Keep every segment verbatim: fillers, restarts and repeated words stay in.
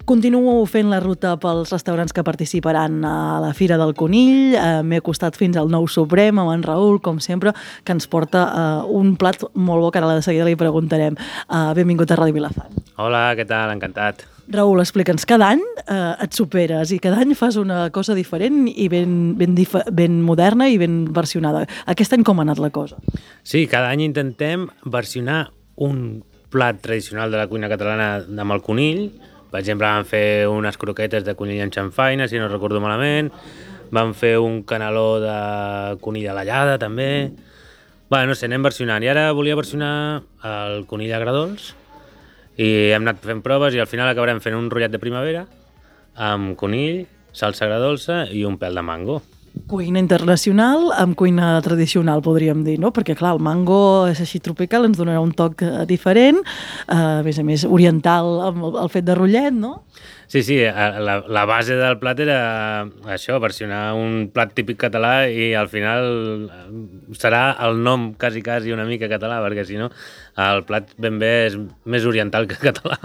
Continuo fent la ruta pels restaurants que participaran a la Fira del Conill. Eh, M'he acostat fins al Nou Suprem amb en Raül, com sempre, que ens porta eh, un plat molt bo, que ara de seguida li preguntarem. Eh, benvingut a Ràdio Vilafant. Hola, què tal? Encantat. Raül, explica'ns, cada any eh, et superes i cada any fas una cosa diferent i ben, ben, dif- ben moderna i ben versionada. Aquest any com ha anat la cosa? Sí, cada any intentem versionar un plat tradicional de la cuina catalana amb el conill. Per exemple, vam fer unes croquetes de conill en xamfaina, si no recordo malament. Vam fer un caneló de conill a l'allada, també. Bé, no sé, anem versionant. I ara volia versionar el conill agredolç. I hem anat fent proves i al final acabarem fent un rotllet de primavera amb conill, salsa agredolça i un pèl de mango. Cuina internacional amb cuina tradicional, podríem dir, no? Perquè, clar, el mango és així tropical, ens donarà un toc eh, diferent, eh, a més a més oriental amb el, el fet de rotllet, no? Sí, sí, la, la base del plat era això, versionar un plat típic català i al final serà el nom quasi, quasi una mica català, perquè si no el plat ben bé és més oriental que català.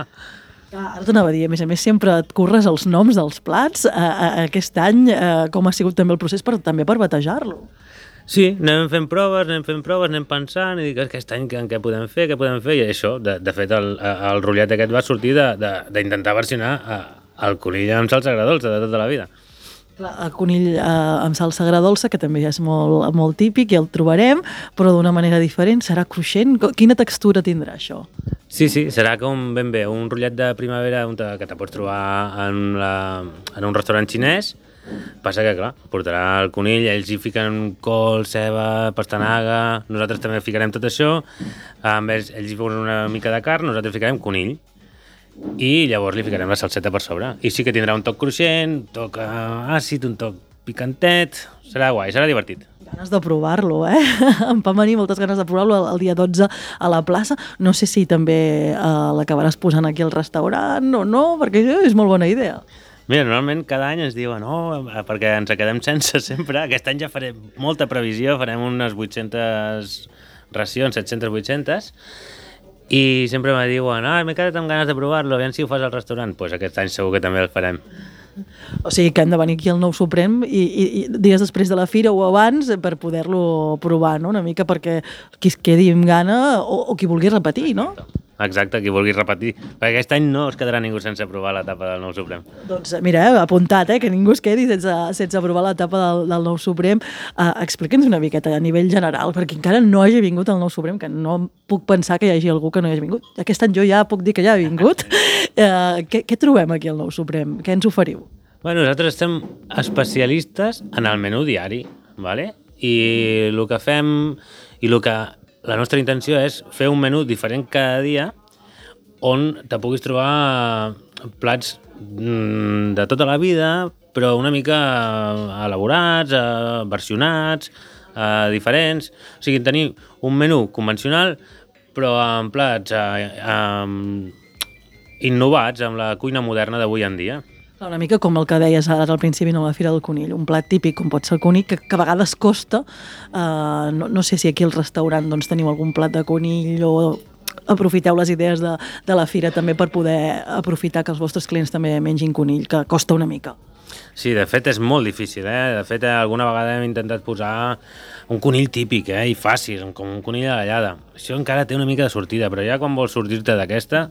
Ah, ara t'anava a dir, a més a més sempre et curres els noms dels plats. Eh, eh, aquest any eh, com ha sigut també el procés per, també per batejar-lo? Sí, anem fent proves, anem fent proves, anem pensant i dic, aquest any què, què podem fer, què podem fer? I això, de, de fet, el, el rotllet aquest va sortir d'intentar versionar el conill amb salsa agredolça de tota la vida. Clar, el conill eh, amb salsa agredolça, que també és molt, molt típic i el trobarem, però d'una manera diferent, serà cruixent. Quina textura tindrà això? Sí, sí, serà com ben bé un rotllet de primavera que te pots trobar en, la, en un restaurant xinès. Passa que, clar, portarà el conill, ells hi fiquen col, ceba, pastanaga, nosaltres també ficarem tot això, amb ells, ells hi posen una mica de carn, nosaltres ficarem conill. I llavors li ficarem la salseta per sobre. I sí que tindrà un toc cruixent, un toc àcid, un toc picantet. Serà guai, serà divertit. Ganes de provar-lo, eh? Em van venir moltes ganes de provar-lo el, el dia dotze a la plaça. No sé si també eh, l'acabaràs posant aquí al restaurant o no, perquè és molt bona idea. Mira, normalment cada any ens diuen oh, perquè ens quedem sense sempre. Aquest any ja farem molta previsió, farem unes vuit-centes racions, set-centes, vuit-centes, i sempre me diuen, ah, m'he quedat amb ganes de provar-lo, aviam si ho fas al restaurant. Doncs pues aquest any segur que també el farem. O sigui que hem de venir aquí al Nou Suprem i, i, i dies després de la fira o abans per poder-lo provar, no? Una mica perquè qui es quedi amb gana o, o qui vulgui repetir, no? Exacte, qui vulgui repetir. Perquè aquest any no es quedarà ningú sense provar l'etapa del Nou Suprem. Doncs mira, eh, apuntat, eh, que ningú es quedi sense, sense provar l'etapa del, del Nou Suprem. Uh, Explica'ns una miqueta a nivell general, perquè encara no hagi vingut al Nou Suprem, que no puc pensar que hi hagi algú que no hi hagi vingut. Aquest any jo ja puc dir que ja ha vingut. Uh, què, què trobem aquí al Nou Suprem? Què ens oferiu? Bueno, nosaltres estem especialistes en el menú diari, ¿vale? I el que fem, i el que la nostra intenció és fer un menú diferent cada dia on te puguis trobar plats de tota la vida, però una mica elaborats, versionats, diferents. O sigui, tenir un menú convencional, però amb plats innovats amb la cuina moderna d'avui en dia. Una mica com el que deies ara al principi a la Fira del Conill, un plat típic com pot ser el conill, que, que a vegades costa. Uh, no, no sé si aquí al restaurant doncs, teniu algun plat de conill o aprofiteu les idees de, de la fira també per poder aprofitar que els vostres clients també mengin conill, que costa una mica. Sí, de fet és molt difícil, eh? De fet alguna vegada hem intentat posar un conill típic, eh? I fàcil, com un conill a l'allada. Això encara té una mica de sortida, però ja quan vols sortir-te d'aquesta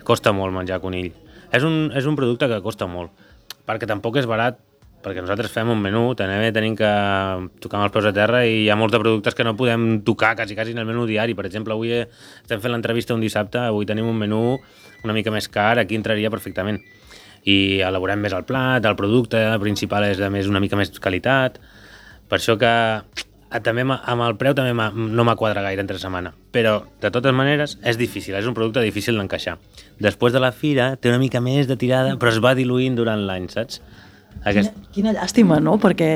costa molt menjar conill. És un, és un producte que costa molt, perquè tampoc és barat, perquè nosaltres fem un menú, també tenim que tocar amb els peus a terra i hi ha molts de productes que no podem tocar quasi, quasi en el menú diari. Per exemple, avui estem fent l'entrevista un dissabte, avui tenim un menú una mica més car, aquí entraria perfectament. I elaborem més el plat, el producte principal és de més, una mica més qualitat, per això que també amb el preu també no m'ha quadrat gaire entre setmana, però de totes maneres és difícil, és un producte difícil d'encaixar. Després de la fira té una mica més de tirada, però es va diluint durant l'any, saps? Aquest... Quina, quina llàstima, no? Perquè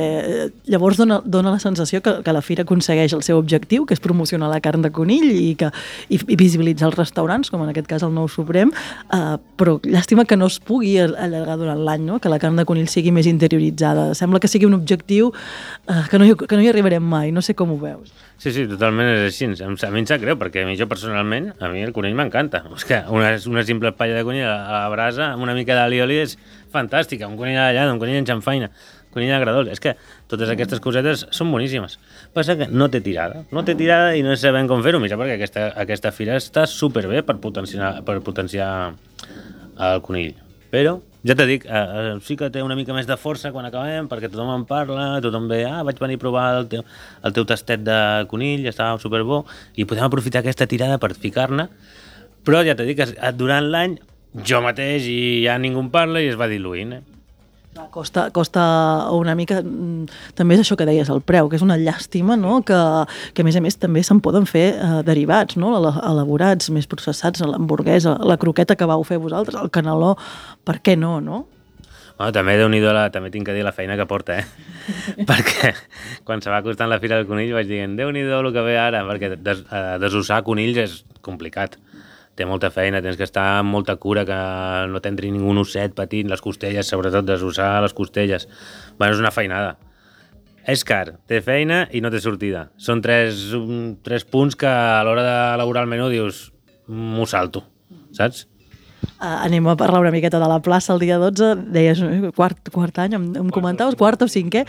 llavors dona, dona la sensació que, que la fira aconsegueix el seu objectiu, que és promocionar la carn de conill i, que, i, i visibilitzar els restaurants, com en aquest cas el Nou Suprem, uh, però llàstima que no es pugui allargar durant l'any, no? Que la carn de conill sigui més interioritzada. Sembla que sigui un objectiu uh, que, no hi, que no hi arribarem mai, no sé com ho veus. Sí, sí, totalment és així. A mi em sap greu, perquè a mi jo personalment, a mi el conill m'encanta. És que una, una simple palla de conill a la brasa amb una mica d'alioli és fantàstica. Un conill a la llana, un conill en xamfaina, un conill agradós. És que totes aquestes cosetes són boníssimes. Passa que no té tirada. No té tirada i no sabem com fer-ho, mitjà, perquè aquesta, aquesta fira està superbé per potenciar, per potenciar el conill. Però ja t'he dit, eh, sí que té una mica més de força quan acabem, perquè tothom en parla, tothom ve, ah, vaig venir a provar el teu, el teu tastet de conill, estava superbo, i podem aprofitar aquesta tirada per ficar-ne, però ja t'he dit que durant l'any jo mateix i ja ningú en parla i es va diluint, eh? Costa, costa una mica, també és això que deies, el preu, que és una llàstima, no? que, que a més a més també se'n poden fer eh, derivats, no? Elaborats, més processats, l'hamburguesa, la croqueta que vau fer vosaltres, el caneló, per què no, no? Bueno, també Déu-n'hi-do, la, també tinc que dir la feina que porta, eh? Perquè quan se va acostant la Fira del Conill vaig dir, Déu-n'hi-do el que ve ara, perquè des, eh, desossar conills és complicat. Té molta feina, tens que estar amb molta cura, que no t'entri ningú osset petit, les costelles, sobretot desossar les costelles. Bueno, és una feinada. És car, té feina i no té sortida. Són tres, un, tres punts que a l'hora d'elaborar el menú dius, m'ho salto, saps? Uh, anem a parlar una miqueta de la plaça el dia dotze, deies quart, quart any, em, em comentaves, quart o cinquè.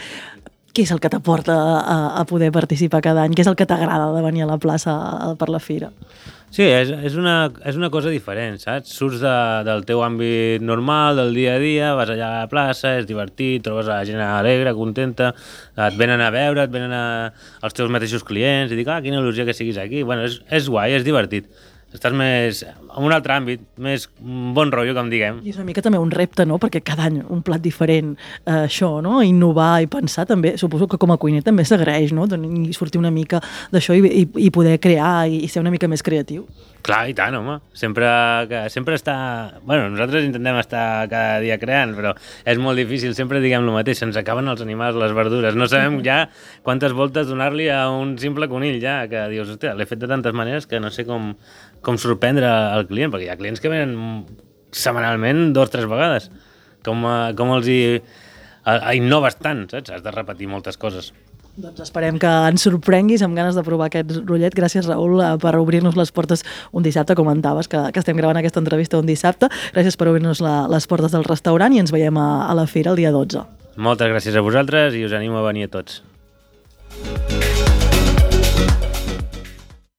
Què és el que t'aporta a, a poder participar cada any? Què és el que t'agrada de venir a la plaça a, per la fira? Sí, és, és, una, és una cosa diferent, saps? Surts de, del teu àmbit normal, del dia a dia, vas allà a la plaça, és divertit, trobes la gent alegre, contenta, et venen a veure, et venen a, els teus mateixos clients, i dic, ah, quina il·lusió que siguis aquí. Bueno, és, és guai, és divertit. Estàs més en un altre àmbit, més bon rotllo, com diguem. I és una mica també un repte, no? Perquè cada any un plat diferent, eh, això, no? Innovar i pensar també, suposo que com a cuiner també s'agraeix, no? I sortir una mica d'això i, i, i poder crear i ser una mica més creatiu. Clar, i tant, home. Sempre, que, sempre està... Bueno, nosaltres intentem estar cada dia creant, però és molt difícil, sempre diguem el mateix, se'ns acaben els animals, les verdures, no sabem ja quantes voltes donar-li a un simple conill, ja, que dius, hòstia, l'he fet de tantes maneres que no sé com, com sorprendre el client, perquè hi ha clients que venen setmanalment dos o tres vegades. Com, com els hi a, a innoves tant, saps? Has de repetir moltes coses. Doncs esperem que ens sorprenguis amb ganes de provar aquest rotllet. Gràcies, Raül, per obrir-nos les portes un dissabte. Comentaves que, que estem gravant aquesta entrevista un dissabte. Gràcies per obrir-nos la, les portes del restaurant i ens veiem a, a la fira el dia dotze. Moltes gràcies a vosaltres i us animo a venir a tots.